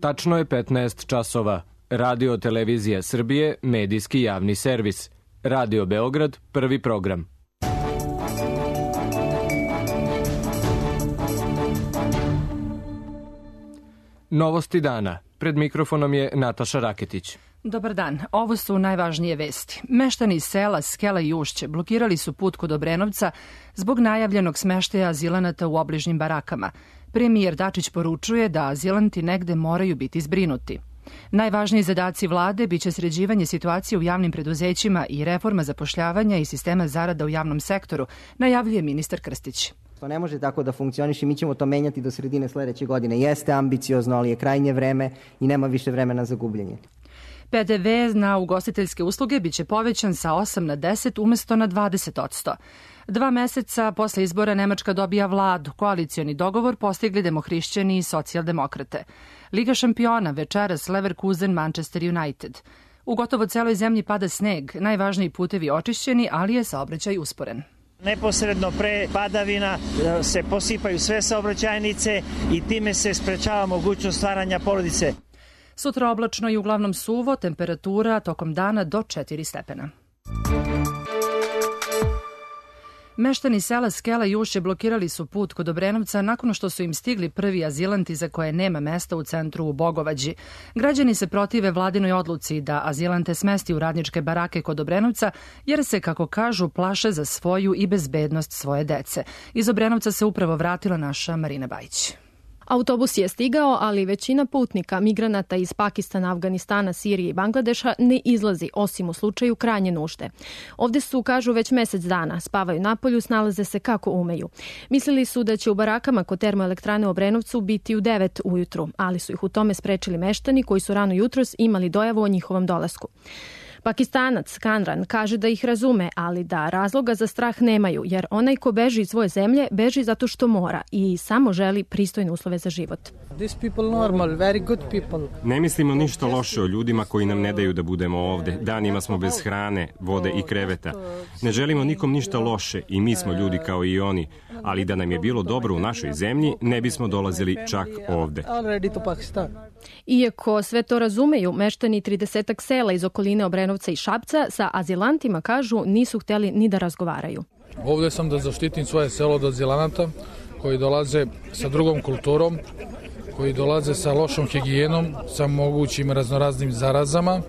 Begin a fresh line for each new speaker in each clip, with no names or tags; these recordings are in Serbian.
Tačno je 15 časova. Radio Televizija Srbije, medijski javni servis. Radio Beograd, prvi program. Novosti dana. Pred mikrofonom je Nataša Raketić.
Dobar dan, ovo su najvažnije vesti. Meštani iz sela Skela i Ušće blokirali su put kod Obrenovca zbog najavljenog smeštaja azilanata u obližnjim barakama. Premijer Dačić poručuje da azilanti negde moraju biti zbrinuti. Najvažniji zadaci vlade biće sređivanje situacije u javnim preduzećima i reforma zapošljavanja i sistema zarada u javnom sektoru, najavljuje ministar Krstić.
To ne može tako da funkcioniše, mi ćemo to menjati do sredine sledeće godine. Jeste ambiciozno, ali je krajnje vreme i nema više vremena za gubljenje.
PDV na ugostiteljske usluge biće povećan sa 8 na 10 umesto na 20%. 2 meseca posle izbora Nemačka dobija vladu. Koalicioni dogovor postigli demohrišćani i socijaldemokrate. Liga šampiona večeras Leverkusen Manchester United. U gotovo celoj zemlji pada sneg, najvažniji putevi očišćeni, ali je saobraćaj usporen.
Neposredno pre padavina se posipaju sve saobraćajnice i time se sprečava mogućnost stvaranja porodice.
Sutra oblačno i uglavnom suvo, temperatura tokom dana do 4 stepena. Meštani sela Skela i Ušće blokirali su put kod Obrenovca nakon što su im stigli prvi azilanti za koje nema mesta u centru u Bogovađi. Građani se protive vladinoj odluci da azilante smesti u radničke barake kod Obrenovca jer se, kako kažu, plaše za svoju i bezbednost svoje dece. Iz Obrenovca se upravo vratila naša Marina Bajić.
Autobus je stigao, ali većina putnika, migranata iz Pakistana, Afganistana, Sirije i Bangladeša ne izlazi, osim u slučaju krajnje nužde. Ovde su, kažu, već mesec dana, spavaju napolju, snalaze se kako umeju. Mislili su da će u barakama kod termoelektrane u Obrenovcu biti u 9 ujutru, ali su ih u tome sprečili meštani koji su rano jutros imali dojavu o njihovom dolasku. Pakistanac Kanran kaže da ih razume, ali da razloga za strah nemaju, jer onaj ko beži iz svoje zemlje, beži zato što mora i samo želi pristojne uslove za život.
Ne mislimo ništa loše o ljudima koji nam ne daju da budemo ovde. Danima smo bez hrane, vode i kreveta. Ne želimo nikom ništa loše i mi smo ljudi kao i oni, ali da nam je bilo dobro u našoj zemlji, ne bismo dolazili čak ovde.
Iako sve to razumeju, meštani 30 sela iz okoline Obrenovca i Šapca sa azilantima, kažu, nisu hteli ni da razgovaraju.
Ovde sam da zaštitim svoje selo od azilanata koji dolaze sa drugom kulturom, koji dolaze sa lošom higijenom, sa mogućim raznoraznim zarazama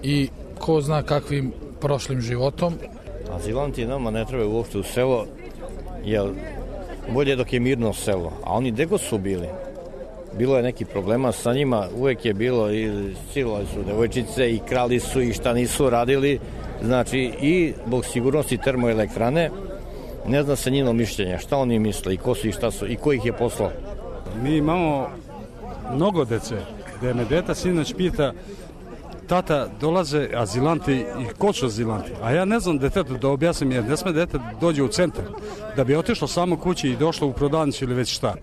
i ko zna kakvim prošlim životom.
Azilanti nama ne trebaju uopšte u selo, jer bolje dok je mirno selo, a oni gde god su bili. Bilo je neki problema sa njima, uvek je bilo i silovali su devojčice i krali su i šta nisu radili, znači i zbog sigurnosti termoelektrane ne zna se njeno mišljenje, šta oni misle i ko su i šta su i ko ih je poslao.
Mi imamo mnogo dece, gde me deta sinoć pita, tata, dolaze azilanti i ko su azilanti? A ja ne znam detetu da objasnim, jer ne sme dete dođe u centar, da bi otišlo samo kući i došlo u prodavnicu ili već šta.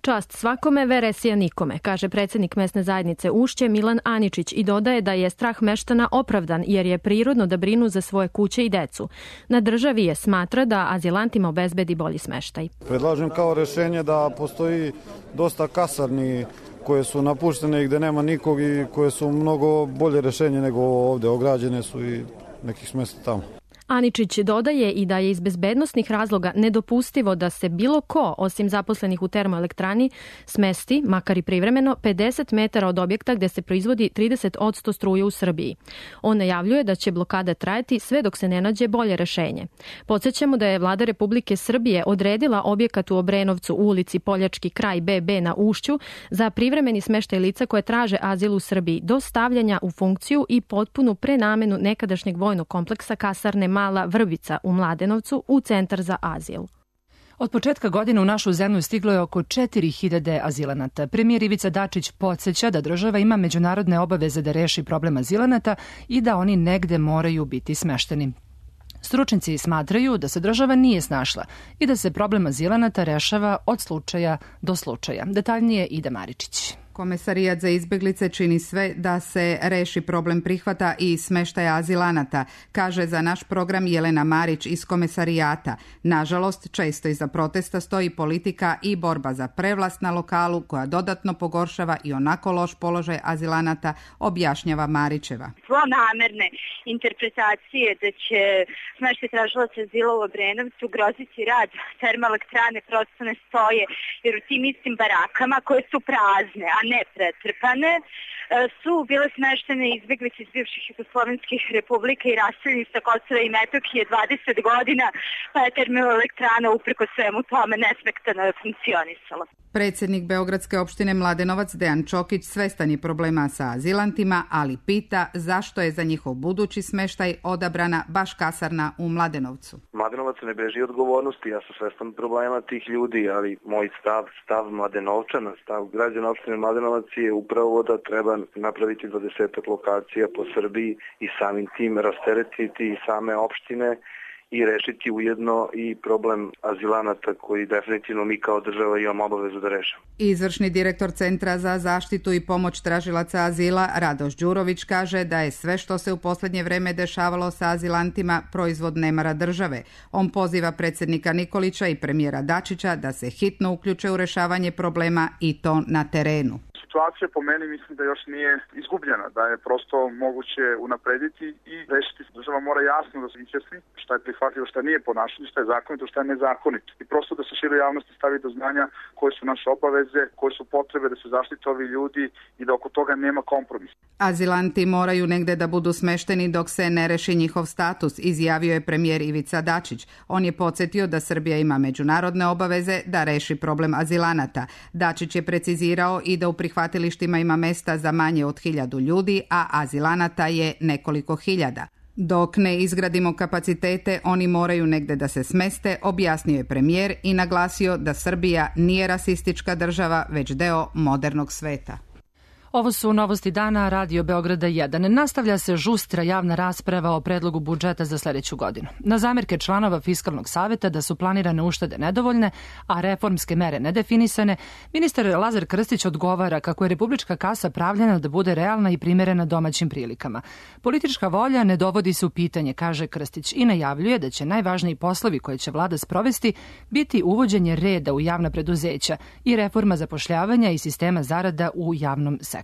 Čast svakome, veresija nikome, kaže predsjednik mesne zajednice Ušće Milan Aničić i dodaje da je strah meštana opravdan jer je prirodno da brinu za svoje kuće i decu. Na državi je smatra da azilantima obezbedi bolji smeštaj.
Predlažem kao rešenje da postoji dosta kasarni koje su napuštene i gde nema nikog i koje su mnogo bolje rešenje nego ovde. Ograđene su i nekih smesta tamo.
Aničić dodaje i da je iz bezbednosnih razloga nedopustivo da se bilo ko, osim zaposlenih u termoelektrani, smesti, makar i privremeno, 50 metara od objekta gde se proizvodi 30% struje u Srbiji. On najavljuje da će blokada trajati sve dok se ne nađe bolje rešenje. Podsjećamo da je Vlada Republike Srbije odredila objekat u Obrenovcu u ulici Poljački kraj BB na Ušću za privremeni smeštaj lica koje traže azil u Srbiji do stavljanja u funkciju i potpunu prenamenu nekadašnjeg vojnog kompleksa kasarne Mala Vrbica u Mladenovcu u centar za azil.
Od početka godine u našu zemlju stiglo je oko 4000 azilanata. Premijer Ivica Dačić podsjeća da država ima međunarodne obaveze da reši problem azilanata i da oni negde moraju biti smešteni. Stručnjaci smatraju da se država nije snašla i da se problem azilanata rešava od slučaja do slučaja. Detaljnije Ida Maričić.
Komesarijat za izbeglice čini sve da se reši problem prihvata i smeštaja azilanata, kaže za naš program Jelena Marić iz Komesarijata. Nažalost, često iza protesta stoji politika i borba za prevlast na lokalu koja dodatno pogoršava i onako loš položaj azilanata, objašnjava Marićeva.
Zlonamerne interpretacije da će smeštaj tražilaca azila u Obrenovcu ugroziti rad termoelektrane prosto ne stoje, jer u tim istim barakama koje su prazne, a ne pretrpane, su bile smeštene izbeglice iz bivših jugoslovenskih republika i raseljeni sa Kosova i Metohije 20 godina, pa je termoelektrana upreko svemu tome nesmetano funkcionisala.
Predsjednik Beogradske opštine Mladenovac Dejan Čokić svestan je problema sa azilantima, ali pita zašto je za njihov budući smeštaj odabrana baš kasarna u Mladenovcu.
Mladenovac ne beži odgovornosti, ja sam svestan problema tih ljudi, ali moj stav Mladenovčana, stav građana opštine Mladenovac je upravo da treba napraviti 20 lokacija po Srbiji i samim tim rasteretiti i same opštine i rešiti ujedno i problem azilanata koji definitivno mi kao država imamo obavezu da rešimo.
Izvršni direktor Centra za zaštitu i pomoć tražilaca azila Radoš Đurović kaže da je sve što se u posljednje vreme dešavalo sa azilantima proizvod nemara države. On poziva predsjednika Nikolića i premijera Dačića da se hitno uključe u rešavanje problema i to na terenu.
Situacija po meni mislim da još nije izgubljena, da je prosto moguće unaprediti i rešiti. Država mora jasno da se izjasni šta je prihvatljivo, šta nije ponašanje, šta je zakonito, šta je nezakonito. I prosto da se široj javnosti stavi do znanja koje su naše obaveze, koje su potrebe da se zaštite ovi ljudi i da oko toga nema kompromisa.
Azilanti moraju negde da budu smešteni dok se ne reši njihov status, izjavio je premijer Ivica Dačić. On je podsjetio da Srbija ima međunarodne obaveze da reši problem azilanata. Dačić je precizirao i da u prihvatilištima ima mesta za manje od 1000 ljudi, a azilanata je nekoliko hiljada. Dok ne izgradimo kapacitete, oni moraju negde da se smeste, objasnio je premijer i naglasio da Srbija nije rasistička država, već deo modernog sveta.
Ovo su novosti dana Radio Beograda 1. Nastavlja se žustra javna rasprava o predlogu budžeta za sljedeću godinu. Na zamerke članova Fiskalnog saveta da su planirane uštede nedovoljne, a reformske mere nedefinisane, ministar Lazar Krstić odgovara kako je republička kasa pravljena da bude realna i primerena domaćim prilikama. Politička volja ne dovodi se u pitanje, kaže Krstić, i najavljuje da će najvažniji poslovi koje će vlada sprovesti biti uvođenje reda u javna preduzeća i reforma zapošljavanja i sistema zarada u javnom sektoru.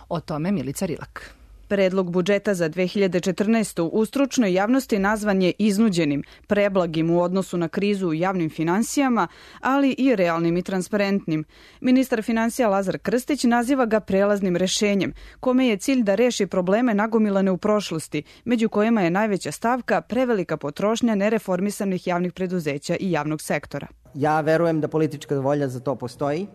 O tome Milica Rilak.
Predlog budžeta za 2014. u stručnoj javnosti nazvan je iznuđenim, preblagim u odnosu na krizu u javnim finansijama, ali i realnim i transparentnim. Ministar finansija Lazar Krstić naziva ga prelaznim rešenjem, kome je cilj da reši probleme nagomilane u prošlosti, među kojima je najveća stavka prevelika potrošnja nereformisanih javnih preduzeća i javnog sektora.
Ja verujem da politička volja za to postoji.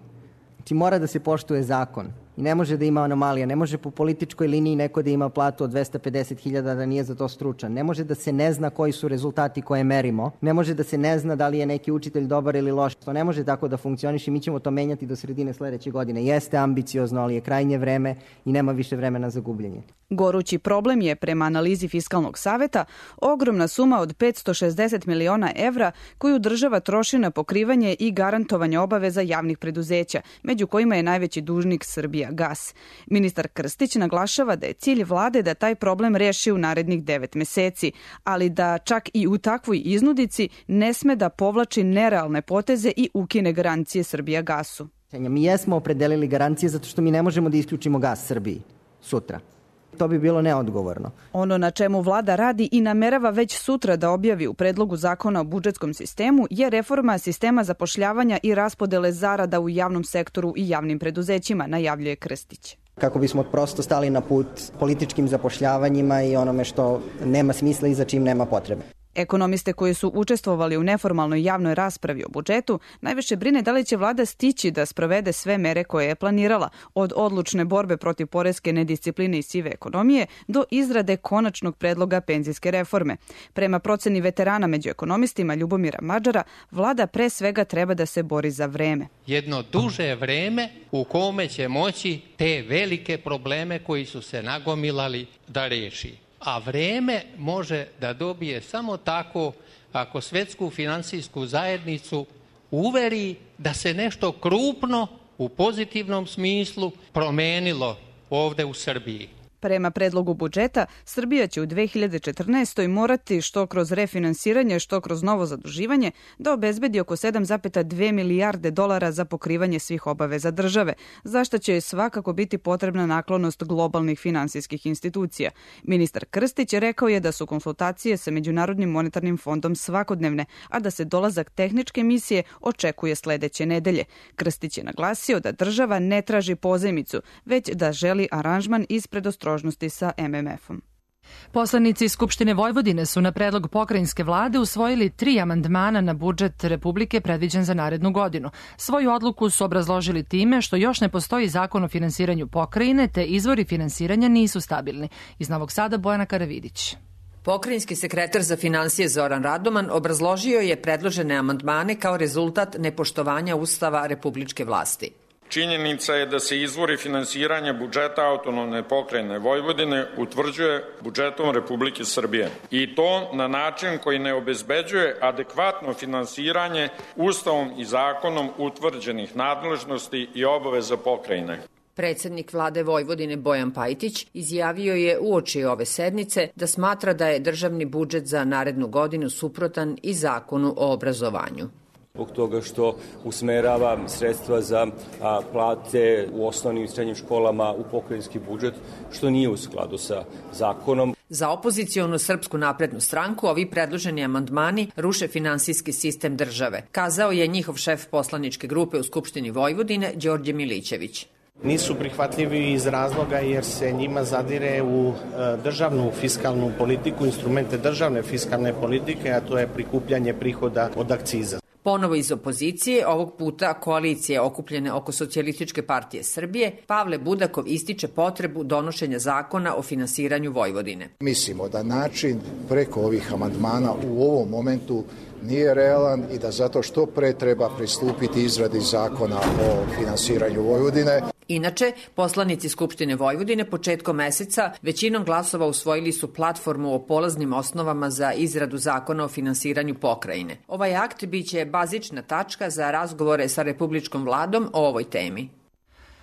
Znači mora da se poštuje zakon i ne može da ima anomalija. Ne može po političkoj liniji neko da ima platu od 250.000 da nije za to stručan. Ne može da se ne zna koji su rezultati koje merimo. Ne može da se ne zna da li je neki učitelj dobar ili loš. To ne može tako da funkcioniše. Mi ćemo to menjati do sredine sljedeće godine. Jeste ambiciozno, ali je krajnje vreme i nema više vremena za gubljenje.
Gorući problem je, prema analizi Fiskalnog saveta, ogromna suma od 560 miliona evra koju država troši na pokrivanje i garantovanje obaveza javnih preduzeća, među kojima je najveći dužnik Srbija Gas. Ministar Krstić naglašava da je cilj vlade da taj problem reši u narednih 9 meseci, ali da čak i u takvoj iznudici ne sme da povlači nerealne poteze i ukine garancije Srbija Gasu.
Mi jesmo opredelili garancije zato što mi ne možemo da isključimo gas Srbiji sutra. To bi bilo neodgovorno.
Ono na čemu vlada radi i namerava već sutra da objavi u predlogu zakona o budžetskom sistemu je reforma sistema zapošljavanja i raspodele zarada u javnom sektoru i javnim preduzećima, najavljuje Krstić.
Kako bismo prosto stali na put političkim zapošljavanjima i onome što nema smisla i za čim nema potrebe.
Ekonomiste koji su učestvovali u neformalnoj javnoj raspravi o budžetu najviše brine da li će vlada stići da sprovede sve mere koje je planirala, od odlučne borbe protiv poreske nediscipline i sive ekonomije do izrade konačnog predloga penzijske reforme. Prema proceni veterana među ekonomistima Ljubomira Mađara, vlada pre svega treba da se bori za vreme.
Jedno duže vreme u kome će moći te velike probleme koji su se nagomilali da reši. A vreme može da dobije samo tako ako svetsku finansijsku zajednicu uveri da se nešto krupno u pozitivnom smislu promenilo ovde u Srbiji.
Prema predlogu budžeta, Srbija će u 2014. morati što kroz refinansiranje, što kroz novo zaduživanje da obezbedi oko 7,2 milijarde dolara za pokrivanje svih obaveza države, za što će svakako biti potrebna naklonost globalnih finansijskih institucija. Ministar Krstić rekao je da su konsultacije sa Međunarodnim monetarnim fondom svakodnevne, a da se dolazak tehničke misije očekuje sledeće nedelje. Krstić je naglasio da država ne traži pozajmicu, već da želi aranžman iz predostrožnosti sa MMF-om.
Poslanici Skupštine Vojvodine su na predlog pokrajinske vlade usvojili 3 amandmana na budžet Republike predviđen za narednu godinu. Svoju odluku su obrazložili time što još ne postoji zakon o finansiranju pokrajine, te izvori finansiranja nisu stabilni. Iz Novog Sada Bojana Karavidić.
Pokrajinski sekretar za finansije Zoran Radoman obrazložio je predložene amandmane kao rezultat nepoštovanja Ustava republičke vlasti.
Činjenica je da se izvori finansiranja budžeta autonomne pokrajine Vojvodine utvrđuje budžetom Republike Srbije. I to na način koji ne obezbeđuje adekvatno finansiranje Ustavom i zakonom utvrđenih nadležnosti i obaveza pokrajine.
Predsednik vlade Vojvodine Bojan Pajtić izjavio je uoči ove sednice da smatra da je državni budžet za narednu godinu suprotan i zakonu o obrazovanju.
Zbog toga što usmerava sredstva za plate u osnovnim i srednjim školama u pokrajinski budžet, što nije u skladu sa zakonom.
Za opozicionu Srpsku naprednu stranku ovi predloženi amandmani ruše finansijski sistem države, kazao je njihov šef poslaničke grupe u Skupštini Vojvodine Đorđe Milićević.
Nisu prihvatljivi iz razloga jer se njima zadire u državnu fiskalnu politiku, instrumente državne fiskalne politike, a to je prikupljanje prihoda od akciza.
Ponovo iz opozicije, ovog puta koalicije okupljene oko Socijalističke partije Srbije, Pavle Budakov ističe potrebu donošenja zakona o finansiranju Vojvodine.
Mislimo da način preko ovih amandmana u ovom momentu nije realan i da zato što pre treba pristupiti izradi zakona o finansiranju Vojvodine.
Inače, poslanici Skupštine Vojvodine početkom meseca većinom glasova usvojili su platformu o polaznim osnovama za izradu zakona o finansiranju pokrajine. Ovaj akt biće bazična tačka za razgovore sa republičkom vladom o ovoj temi.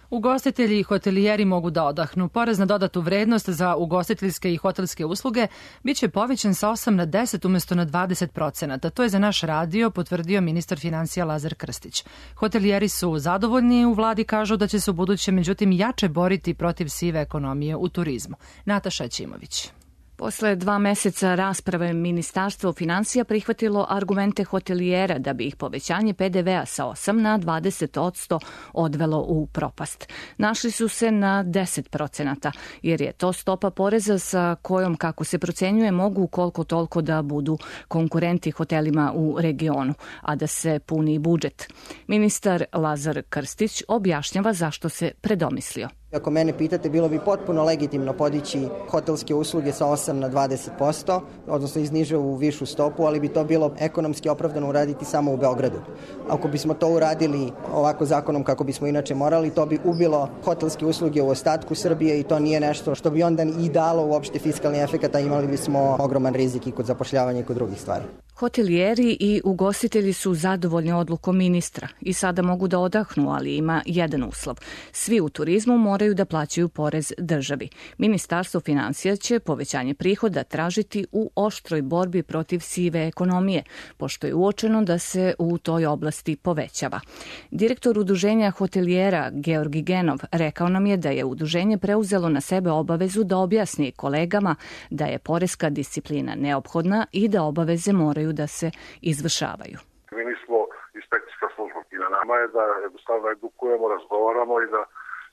Ugostitelji i hotelijeri mogu da odahnu. Porez na dodatu vrednost za ugostiteljske i hotelske usluge biće povećan sa 8 na 10 umesto na 20%. To je za naš radio potvrdio ministar finansija Lazar Krstić. Hotelijeri su zadovoljni, u vladi kažu da će se u buduće međutim jače boriti protiv sive ekonomije u turizmu. Nataša Ćimović.
Posle 2 meseca rasprave Ministarstvo finansija prihvatilo argumente hotelijera da bi ih povećanje PDV-a sa 8 na 20% odvelo u propast. Našli su se na 10%, jer je to stopa poreza sa kojom, kako se procenjuje, mogu koliko toliko da budu konkurenti hotelima u regionu, a da se puni budžet. Ministar Lazar Krstić objašnjava zašto se predomislio.
Ako mene pitate, bilo bi potpuno legitimno podići hotelske usluge sa 8 na 20%, odnosno izniže u višu stopu, ali bi to bilo ekonomski opravdano uraditi samo u Beogradu. Ako bismo to uradili ovako zakonom kako bismo inače morali, to bi ubilo hotelske usluge u ostatku Srbije i to nije nešto što bi onda i dalo uopšte fiskalni efekat, a imali bismo ogroman rizik i kod zapošljavanja i kod drugih stvari.
Hotelijeri i ugostitelji su zadovoljni odlukom ministra i sada mogu da odahnu, ali ima jedan uslov. Svi u turizmu moraju da plaćaju porez državi. Ministarstvo finansija će povećanje prihoda tražiti u oštroj borbi protiv sive ekonomije, pošto je uočeno da se u toj oblasti povećava. Direktor Udruženja hotelijera Georgi Genov rekao nam je da je udruženje preuzelo na sebe obavezu da objasni kolegama da je poreska disciplina neophodna i da obaveze moraju da se izvršavaju.
Mi nismo inspekcijska služba i na nama je da jednostavno edukujemo, razgovaramo i da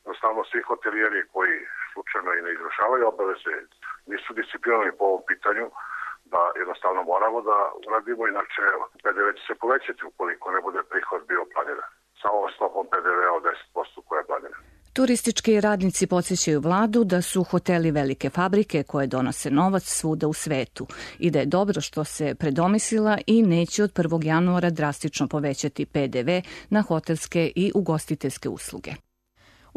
jednostavno svi hotelijeri koji slučajno i ne izvršavaju obaveze nisu disciplinovani po ovom pitanju, da jednostavno moramo da uradimo, inače PDV će se povećati ukoliko ne bude prihod bio planiran. Sa ovom stopom PDV-a od 10% koja je planirana.
Turistički radnici podsjećaju vladu da su hoteli velike fabrike koje donose novac svuda u svetu i da je dobro što se predomislila i neće od 1. januara drastično povećati PDV na hotelske i ugostiteljske usluge.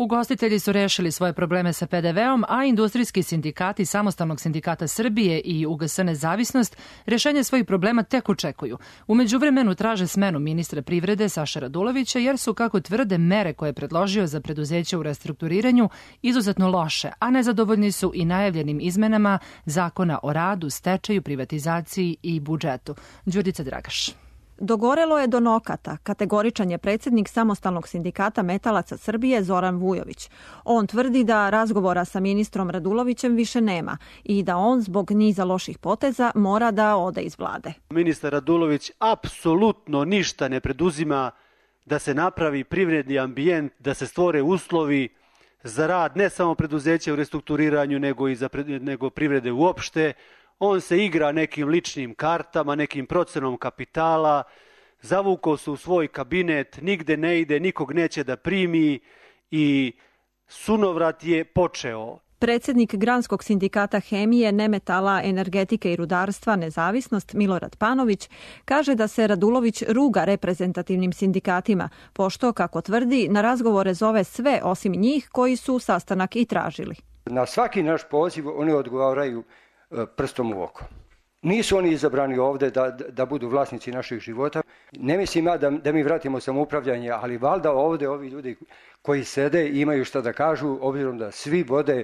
Ugostitelji su rešili svoje probleme sa PDV-om, a industrijski sindikati Samostalnog sindikata Srbije i UGS Nezavisnost rešenje svojih problema tek očekuju. U međuvremenu traže smenu ministra privrede Saše Radulovića jer su, kako tvrde, mere koje je predložio za preduzeće u restrukturiranju izuzetno loše, a nezadovoljni su i najavljenim izmenama Zakona o radu, stečaju, privatizaciji i budžetu. Đurđica Dragaš.
Dogorelo je do nokata, kategoričan je predsjednik Samostalnog sindikata metalaca Srbije Zoran Vujović. On tvrdi da razgovora sa ministrom Radulovićem više nema i da on zbog niza loših poteza mora da ode iz vlade.
Ministar Radulović apsolutno ništa ne preduzima da se napravi privredni ambijent, da se stvore uslovi za rad ne samo preduzeća u restrukturiranju nego privrede uopšte. On se igra nekim ličnim kartama, nekim procenom kapitala, zavukao se u svoj kabinet, nigde ne ide, nikog neće da primi i sunovrat je počeo.
Predsjednik Granskog sindikata hemije, nemetala, energetike i rudarstva Nezavisnost Milorad Panović kaže da se Radulović ruga reprezentativnim sindikatima, pošto, kako tvrdi, na razgovore zove sve osim njih koji su sastanak i tražili.
Na svaki naš poziv oni odgovaraju prstom u oko. Nisu oni izabrani ovde da budu vlasnici naših života. Ne mislim ja da mi vratimo samoupravljanje, ali valjda ovde ovi ljudi koji sede imaju šta da kažu, obzirom da svi vode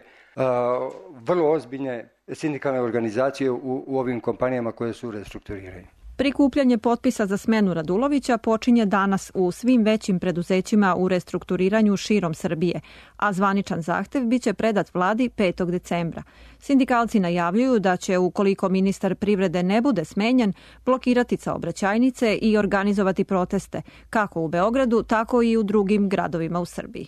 vrlo ozbiljne sindikalne organizacije u ovim kompanijama koje su u restrukturiranju.
Prikupljanje potpisa za smenu Radulovića počinje danas u svim većim preduzećima u restrukturiranju širom Srbije, a zvaničan zahtev biće predat vladi 5. decembra. Sindikalci najavljuju da će, ukoliko ministar privrede ne bude smenjen, blokirati saobraćajnice i organizovati proteste, kako u Beogradu, tako i u drugim gradovima u Srbiji.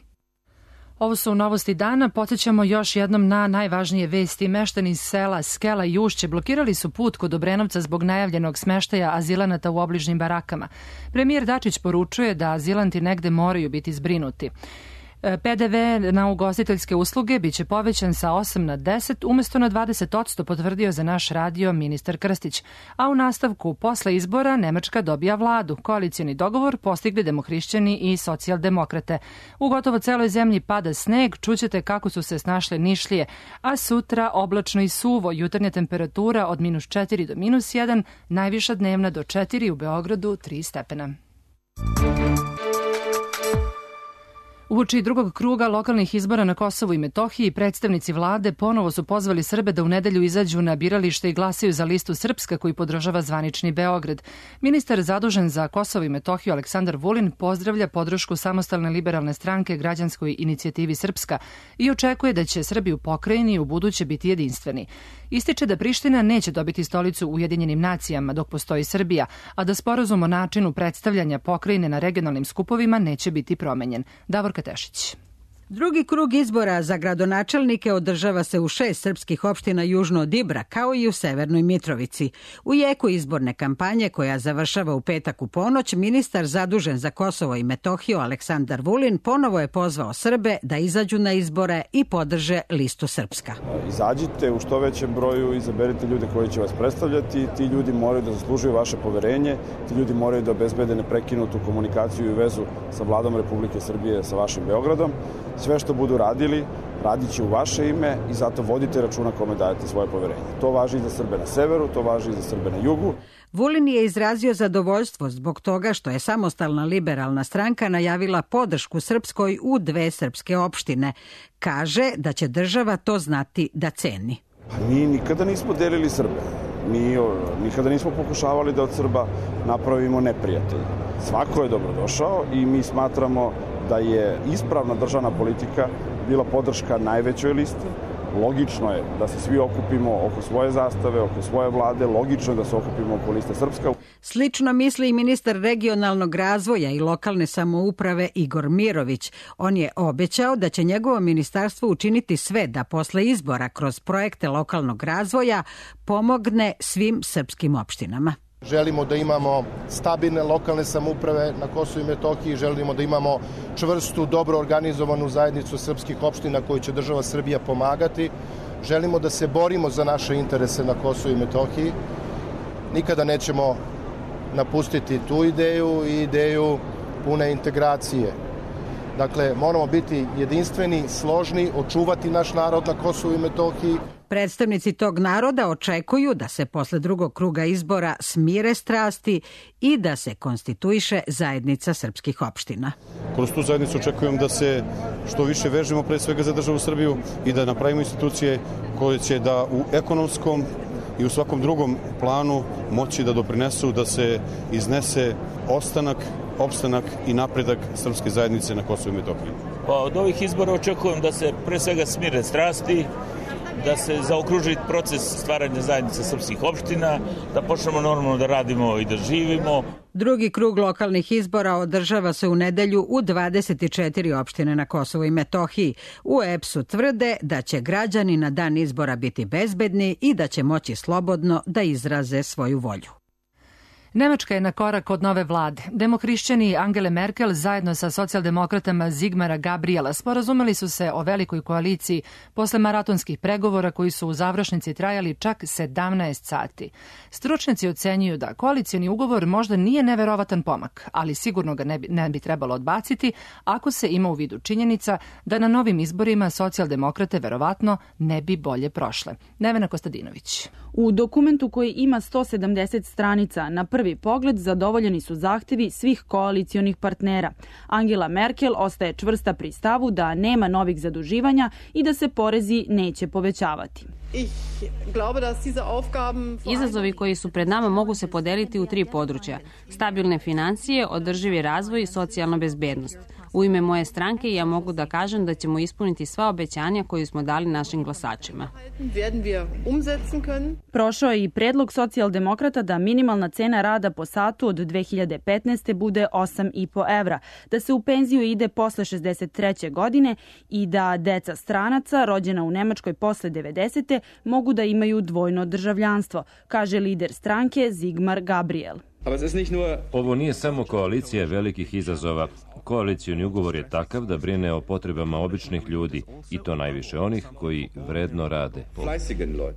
Ovo su novosti dana. Podsjećamo još jednom na najvažnije vesti. Meštani iz sela Skela i Ušće blokirali su put kod Obrenovca zbog najavljenog smeštaja azilanata u obližnjim barakama. Premijer Dačić poručuje da azilanti negde moraju biti zbrinuti. PDV na ugostiteljske usluge biće povećan sa 8 na 10 umjesto na 20%, potvrdio za naš radio ministar Krstić. A u nastavku, posle izbora, Nemačka dobija vladu. Koalicioni dogovor postigli demohrišćani i socijaldemokrate. U gotovo celoj zemlji pada sneg, čućete kako su se snašle Nišlije, a sutra oblačno i suvo, jutarnja temperatura od -4 do -1, najviša dnevna do 4, u Beogradu 3 stepena. Uoči drugog kruga lokalnih izbora na Kosovu i Metohiji, predstavnici vlade ponovo su pozvali Srbe da u nedelju izađu na biralište i glasaju za listu Srpska koji podržava zvanični Beograd. Ministar zadužen za Kosovo i Metohiju Aleksandar Vulin pozdravlja podršku Samostalne liberalne stranke Građanskoj inicijativi Srpska i očekuje da će Srbi u pokrajini u buduće biti jedinstveni. Ističe da Priština neće dobiti stolicu u Ujedinjenim nacijama dok postoji Srbija, a da sporazum o načinu predstavljanja pokrajine na regionalnim skupovima neće biti promenjen. Davorka Tešić.
Drugi krug izbora za gradonačelnike održava se u 6 srpskih opština južno od Ibra, kao i u Severnoj Mitrovici. U jeku izborne kampanje, koja završava u petak u ponoć, ministar zadužen za Kosovo i Metohiju Aleksandar Vulin ponovo je pozvao Srbe da izađu na izbore i podrže listu Srpska.
Izađite u što većem broju, izaberite ljude koji će vas predstavljati, ti ljudi moraju da zaslužuju vaše poverenje, ti ljudi moraju da obezbede neprekinutu komunikaciju i vezu sa vladom Republike Srbije, sa vašim Beogradom. Sve što budu radili, radit će u vaše ime i zato vodite računa kome dajete svoje poverenje. To važi i za Srbe na severu, to važi i za Srbe na jugu.
Vulin je izrazio zadovoljstvo zbog toga što je Samostalna liberalna stranka najavila podršku Srpskoj u 2 srpske opštine. Kaže da će država to znati da ceni.
Mi nikada nismo delili Srbe. Mi nikada nismo pokušavali da od Srba napravimo neprijatelja. Svako je dobrodošao i mi smatramo da je ispravna državna politika bila podrška najvećoj listi. Logično je da se svi okupimo oko svoje zastave, oko svoje vlade, logično je da se okupimo oko liste Srpska.
Slično misli i ministar regionalnog razvoja i lokalne samouprave Igor Mirović. On je obećao da će njegovo ministarstvo učiniti sve da posle izbora kroz projekte lokalnog razvoja pomogne svim srpskim opštinama.
Želimo da imamo stabilne lokalne samouprave na Kosovu i Metohiji, želimo da imamo čvrstu, dobro organizovanu zajednicu srpskih opština koju će država Srbija pomagati. Želimo da se borimo za naše interese na Kosovu i Metohiji. Nikada nećemo napustiti tu ideju i ideju pune integracije. Dakle, moramo biti jedinstveni, složni, očuvati naš narod na Kosovu i Metohiji.
Predstavnici tog naroda očekuju da se posle drugog kruga izbora smire strasti i da se konstituiše zajednica srpskih opština.
Kroz tu zajednicu očekujem da se što više vežemo pre svega za državu Srbiju i da napravimo institucije koje će da u ekonomskom i u svakom drugom planu moći da doprinesu da se iznese ostanak, opstanak i napredak srpske zajednice na Kosovu i Metohiji.
Pa od ovih izbora očekujem da se pre svega smire strasti, da se zaokruži proces stvaranja zajednice srpskih opština, da počnemo normalno da radimo i da živimo.
Drugi krug lokalnih izbora održava se u nedelju u 24 opštine na Kosovu i Metohiji. U EPS-u tvrde da će građani na dan izbora biti bezbedni i da će moći slobodno da izraze svoju volju.
Nemačka je na korak od nove vlade. Demohrišćani Angele Merkel zajedno sa socijaldemokratama Zigmara Gabriela sporazumeli su se o velikoj koaliciji posle maratonskih pregovora koji su u završnici trajali čak 17 sati. Stručnjaci ocenjuju da koalicioni ugovor možda nije neverovatan pomak, ali sigurno ga ne bi trebalo odbaciti ako se ima u vidu činjenica da na novim izborima socijaldemokrate verovatno ne bi bolje prošle. Nevena Kostadinović.
U dokumentu koji ima 170 stranica, na prvi pogled zadovoljeni su zahtevi svih koalicionih partnera. Angela Merkel ostaje čvrsta pri stavu da nema novih zaduživanja i da se porezi neće povećavati.
Izazovi koji su pred nama mogu se podeliti u 3 područja: stabilne financije, održivi razvoj i socijalna bezbednost. U ime moje stranke ja mogu da kažem da ćemo ispuniti sva obećanja koje smo dali našim glasačima.
Prošao je i predlog socijaldemokrata da minimalna cena rada po satu od 2015. bude 8,5 evra, da se u penziju ide posle 63. godine i da deca stranaca rođena u Nemačkoj posle 90. mogu da imaju dvojno državljanstvo, kaže lider stranke Zigmar Gabriel.
Ovo nije samo koalicija velikih izazova. Koalicioni ugovor je takav da brine o potrebama običnih ljudi i to najviše onih koji vredno rade.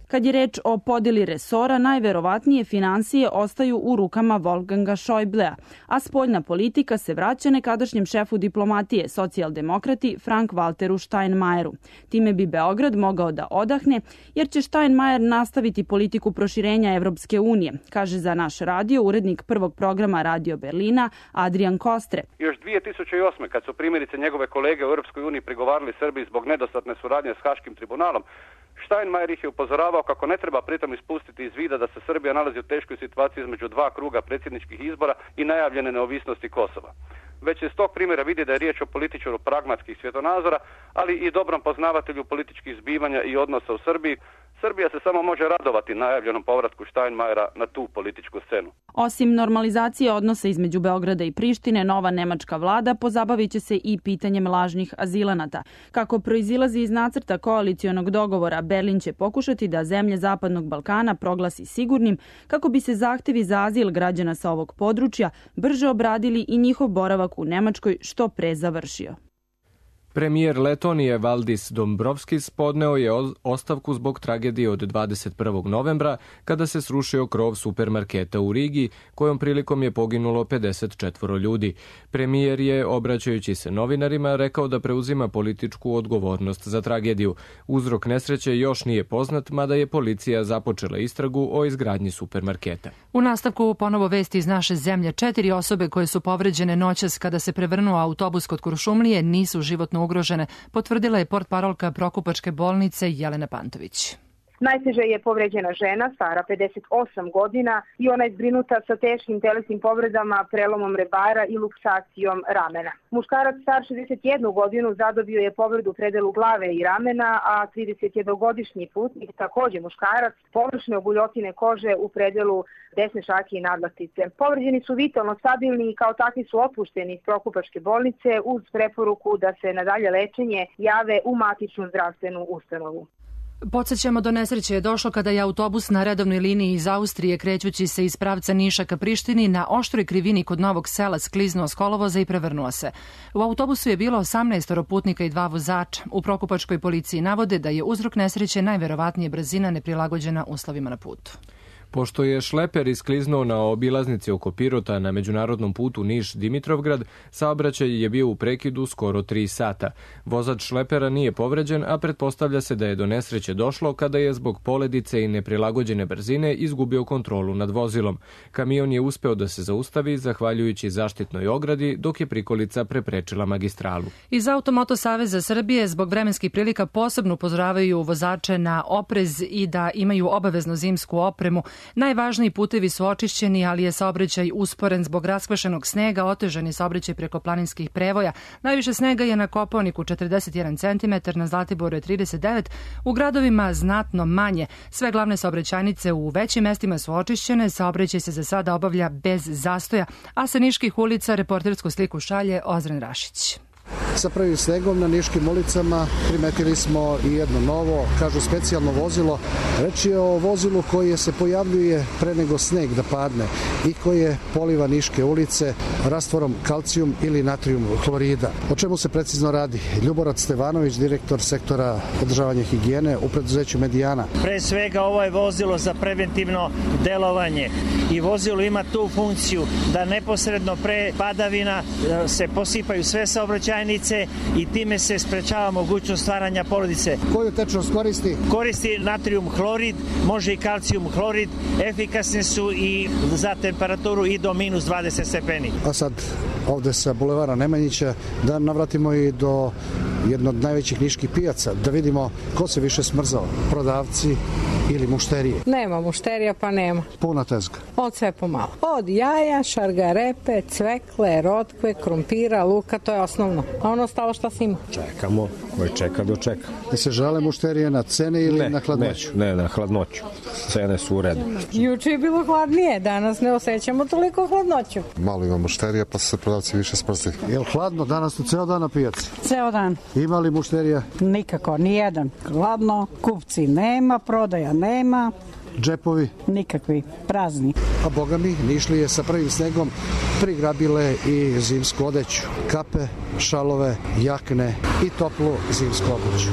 Kad je reč o podeli resora, najverovatnije financije ostaju u rukama Wolfganga Schäublea, a spoljna politika se vraća nekadašnjem šefu diplomatije, socijaldemokrati Frank-Walteru Steinmeieru. Time bi Beograd mogao da odahne, jer će Steinmeier nastaviti politiku proširenja Evropske unije, kaže za naš radio urednik prvog programa Radio Berlina Adrian Kostre.
Još 2008. kad su primjerice njegove kolege u Europskoj uniji prigovarali Srbiji zbog nedostatne suradnje s Haškim tribunalom, Steinmeier ih je upozoravao kako ne treba pritom ispustiti iz vida da se Srbija nalazi u teškoj situaciji između 2 kruga predsjedničkih izbora i najavljene neovisnosti Kosova. Već se iz tog primjera vidi da je riječ o političaru pragmatskih svjetonazora, ali i dobrom poznavatelju političkih zbivanja i odnosa u Srbiji. Srbija se samo može radovati najavljenom povratku Steinmeiera na tu političku scenu.
Osim normalizacije odnosa između Beograda i Prištine, nova nemačka vlada pozabavit će se i pitanjem lažnih azilanata. Kako proizilazi iz nacrta koalicionog dogovora, Berlin će pokušati da zemlje Zapadnog Balkana proglasi sigurnim kako bi se zahtevi za azil građana sa ovog područja brže obradili i njihov boravak u Nemačkoj što pre završio.
Premijer Letonije Valdis Dombrovskis podneo je ostavku zbog tragedije od 21. novembra kada se srušio krov supermarketa u Rigi, kojom prilikom je poginulo 54 ljudi. Premijer je, obraćajući se novinarima, rekao da preuzima političku odgovornost za tragediju. Uzrok nesreće još nije poznat, mada je policija započela istragu o izgradnji supermarketa.
U nastavku ponovo vesti iz naše zemlje. 4 osobe koje su povređene noćas kada se prevrnuo autobus kod Kuršumlije nisu životno ugrožene, potvrdila je portparolka Prokupačke bolnice Jelena Pantović.
Najteže je povređena žena, stara 58 godina i ona je zbrinuta sa teškim telesnim povredama, prelomom rebara i luksacijom ramena. Muškarac star 61 godinu zadobio je povredu u predelu glave i ramena, a 31-godišnji putnik, također muškarac, površne obuljotine kože u predelu desne šake i nadlaktice. Povređeni su vitalno stabilni i kao takvi su otpušteni iz Prokupačke bolnice uz preporuku da se na dalje lečenje jave u matičnu zdravstvenu ustanovu.
Podsjećamo, do nesreće je došlo kada je autobus na redovnoj liniji iz Austrije krećući se iz pravca Niša ka Prištini na oštroj krivini kod Novog Sela skliznuo s kolovoza i prevrnuo se. U autobusu je bilo 18 putnika i 2 vozača. U Prokupačkoj policiji navode da je uzrok nesreće najverovatnije brzina neprilagođena uslovima na putu.
Pošto je šleper iskliznuo na obilaznici oko Pirota na međunarodnom putu Niš-Dimitrovgrad, saobraćaj je bio u prekidu skoro 3 sata. Vozač šlepera nije povređen, a pretpostavlja se da je do nesreće došlo kada je zbog poledice i neprilagođene brzine izgubio kontrolu nad vozilom. Kamion je uspeo da se zaustavi zahvaljujući zaštitnoj ogradi, dok je prikolica preprečila magistralu.
Iz Automoto Saveza Srbije zbog vremenskih prilika posebno upozoravaju vozače na oprez i da imaju obavezno zimsku opremu. Najvažniji putevi su očišćeni, ali je saobraćaj usporen zbog raskvašenog snega, otežan je saobraćaj preko planinskih prevoja. Najviše snega je na Kopaoniku 41 cm, na Zlatiboru je 39, u gradovima znatno manje. Sve glavne saobraćajnice u većim mestima su očišćene, saobraćaj se za sada obavlja bez zastoja, a sa niških ulica reportersku sliku šalje Ozren Rašić.
Sa prvim snegom na niškim ulicama primetili smo i jedno novo, kažu specijalno vozilo. Reč je o vozilu koje se pojavljuje pre nego sneg da padne i koje poliva niške ulice rastvorom kalcijum ili natrijum hlorida. O čemu se precizno radi? Ljuborad Stevanović, direktor sektora održavanja higijene u preduzeću Medijana.
Pre svega ovo je vozilo za preventivno delovanje i vozilo ima tu funkciju da neposredno pre padavina se posipaju sve saobraćajnice i time se sprečava mogućnost stvaranja poledice.
Koju tečnost koristi?
Koristi natrijum hlorid, može i kalcijum hlorid, efikasne su i za temperaturu i do minus 20 stepeni.
A sad ovde sa bulevara Nemanjića da navratimo i do jednog od najvećih niških pijaca, da vidimo ko se više smrzao, prodavci ili mušterije.
Nema mušterija pa nema.
Puna tezga.
Od sve pomalo. Od jaja, šargarepe, cvekle, rotkve, krompira, luka, to je osnovno. A ono ostalo šta se ima?
Čekamo, koji čeka dočeka.
Da se žale mušterije na cene ili na hladnoću?
Ne, na hladnoću. Cene su u redu.
Juče je bilo hladnije, danas ne osjećamo toliko hladnoću.
Malo ima mušterija pa se prodavci više smrzi.
Je li hladno danas tu ceo dan na pijaci?
Ceo dan.
Ima li mušterija?
Nikako, nijedan. Hladno, kupci nema, prodaja nema.
Džepovi?
Nikakvi, prazni.
A boga mi, Nišlije sa prvim snegom prigrabile i zimsku odeću. Kape, šalove, jakne i toplu zimsku obuću.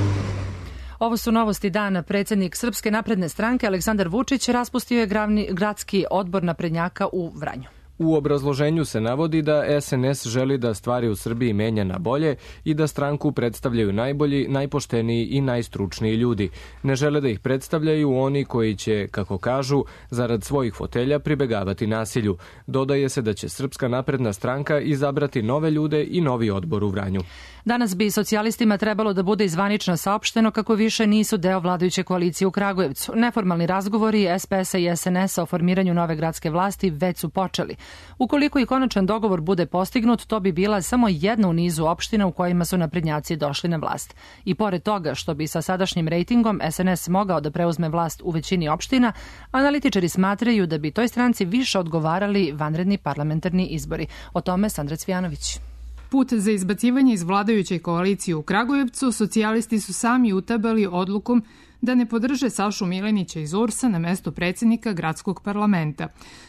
Ovo su novosti dana. Predsjednik Srpske napredne stranke Aleksandar Vučić raspustio je gradski odbor naprednjaka u Vranju.
U obrazloženju se navodi da SNS želi da stvari u Srbiji menja na bolje i da stranku predstavljaju najbolji, najpošteniji i najstručniji ljudi. Ne žele da ih predstavljaju oni koji će, kako kažu, zarad svojih fotelja pribegavati nasilju. Dodaje se da će Srpska napredna stranka izabrati nove ljude i novi odbor u Vranju.
Danas bi socijalistima trebalo da bude zvanično saopšteno kako više nisu deo vladajuće koalicije u Kragujevcu. Neformalni razgovori SPS-a i SNS-a o formiranju nove gradske vlasti već su počeli. Ukoliko i konačan dogovor bude postignut, to bi bila samo jedna u nizu opština u kojima su naprednjaci došli na vlast. I pored toga što bi sa sadašnjim rejtingom SNS mogao da preuzme vlast u većini opština, analitičari smatraju da bi toj stranci više odgovarali vanredni parlamentarni izbori. O tome Sandra Cvijanović.
Put za izbacivanje iz vladajuće koalicije u Kragujevcu socijalisti su sami utabali odlukom da ne podrže Sašu Milenića iz URS-a na mesto predsjednika gradskog parlamenta.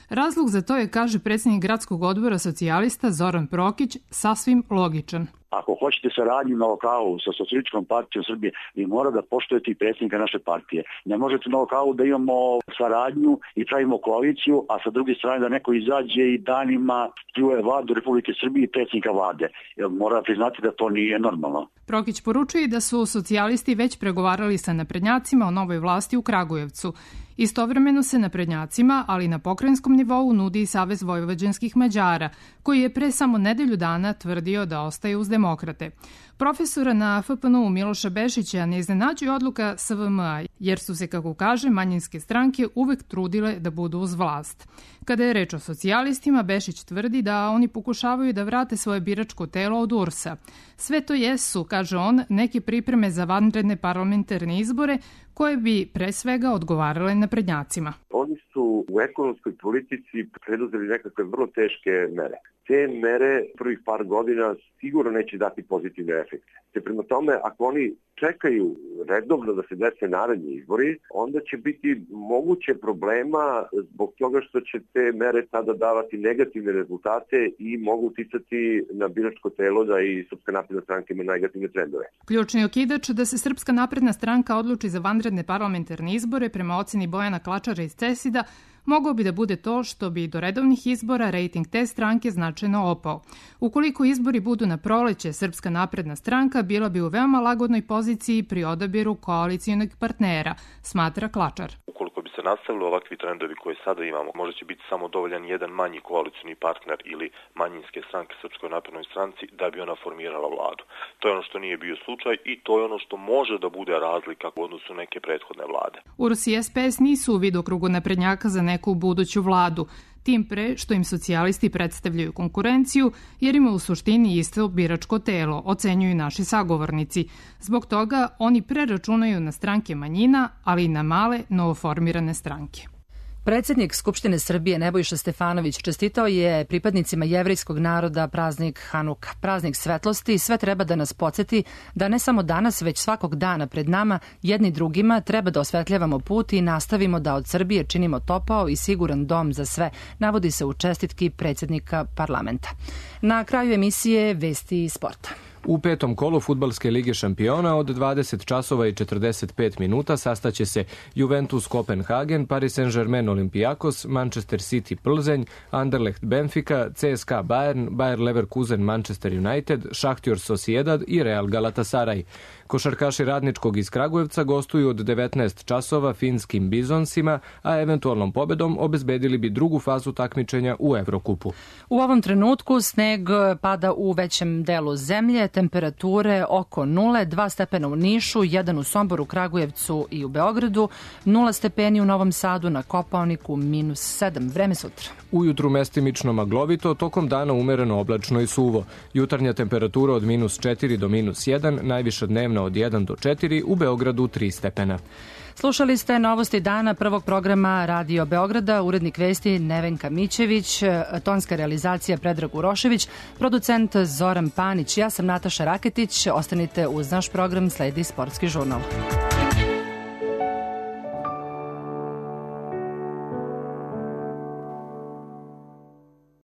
Razlog za to je, kaže predsjednik gradskog odbora socijalista Zoran Prokić, sasvim logičan.
Ako hoćete saradnju na lokalu sa Socijalističkom partijom Srbije, vi mora da poštujete i predsjednika naše partije. Ne možete na lokalu da imamo saradnju i pravimo koaliciju, a sa druge strane da neko izađe i danima pljuje vladu Republike Srbije i predsjednika vlade. Mora priznati da to nije normalno.
Prokić poručuje da su socijalisti već pregovarali sa naprednjacima o novoj vlasti u Kragujevcu. Istovremeno se naprednjacima, ali na pokrajinskom nivou nudi i Savez vojvođanskih Mađara, koji je pre samo nedelju dana tvrdio da ostaje uz demokrate. Profesora na FPN-u Miloša Bešića ne iznenađuje odluka SVM-a, jer su se, kako kaže, manjinske stranke uvek trudile da budu uz vlast. Kada je reč o socijalistima, Bešić tvrdi da oni pokušavaju da vrate svoje biračko telo od URS-a. Sve to jesu, kaže on, neke pripreme za vanredne parlamentarne izbore koje bi pre svega odgovarale naprednjacima.
Oni su u ekonomskoj politici preduzeli nekakve vrlo teške mere. Te mere prvih par godina sigurno neće dati pozitivne efekte. Te prema tome, ako oni čekaju redovno da se dese naredni izbori, onda će biti moguće problema zbog toga što će te mere tada davati negativne rezultate i mogu uticati na biračko telo da i Srpska napredna stranka ima negativne trendove.
Ključni okidač da se Srpska napredna stranka odluči za vanredne parlamentarne izbore prema oceni Bojana Klačara iz CESID-a mogao bi da bude to što bi do redovnih izbora rejting te stranke značajno opao. Ukoliko izbori budu na proleće, Srpska napredna stranka bila bi u veoma lagodnoj poziciji pri odabiru koalicijonog partnera, smatra Klačar.
Ukoliko bi se nastavili ovakvi trendovi koje sada imamo, možda će biti samo dovoljan jedan manji koalicioni partner ili manjinske stranke Srpskoj naprednoj stranci da bi ona formirala vladu. To je ono što nije bio slučaj i to je ono što može da bude razlika u odnosu neke prethodne vlade.
U Rusiji SPS nisu u vidokrugu naprednjaka za neku buduću vladu, tim pre što im socijalisti predstavljaju konkurenciju jer ima u suštini isto biračko telo, ocenjuju naši sagovornici. Zbog toga oni preračunaju na stranke manjina, ali i na male novoformirane stranke.
Predsjednik Skupštine Srbije Nebojša Stefanović čestitao je pripadnicima jevrejskog naroda praznik Hanuka, praznik svetlosti. Sve treba da nas podsjeti da ne samo danas, već svakog dana pred nama jedni drugima treba da osvetljavamo put i nastavimo da od Srbije činimo topao i siguran dom za sve, navodi se u čestitki predsjednika parlamenta. Na kraju emisije vesti sporta.
U petom kolu Fudbalske lige šampiona od 20 časova i 45 minuta sastaće se Juventus Kopenhagen, Paris Saint-Germain Olympiakos, Manchester City Plzenj, Anderlecht Benfica, CSKA Bayern, Bayer Leverkusen Manchester United, Šahtjor Sociedad i Real Galatasaray. Košarkaši Radničkog iz Kragujevca gostuju od 19 časova finskim Bizonsima, a eventualnom pobedom obezbedili bi drugu fazu takmičenja u Evrokupu.
U ovom trenutku sneg pada u većem delu zemlje, temperature oko 0, 2 stepena u Nišu, 1 u Somboru, Kragujevcu i u Beogradu, 0 stepeni u Novom Sadu, na Kopaoniku -7. Vreme sutra.
Ujutru mestimično maglovito, tokom dana umereno oblačno i suvo. Jutarnja temperatura od -4 do -1, najviša dnevna od 1 do 4, u Beogradu 3 stepena.
Slušali ste novosti dana prvog programa Radio Beograda, urednik vesti Nevenka Mićević, tonska realizacija Predrag Urošević, producent Zoran Panić, ja sam Nataša Raketić. Ostanite uz naš program, sledi Sportski žurnal.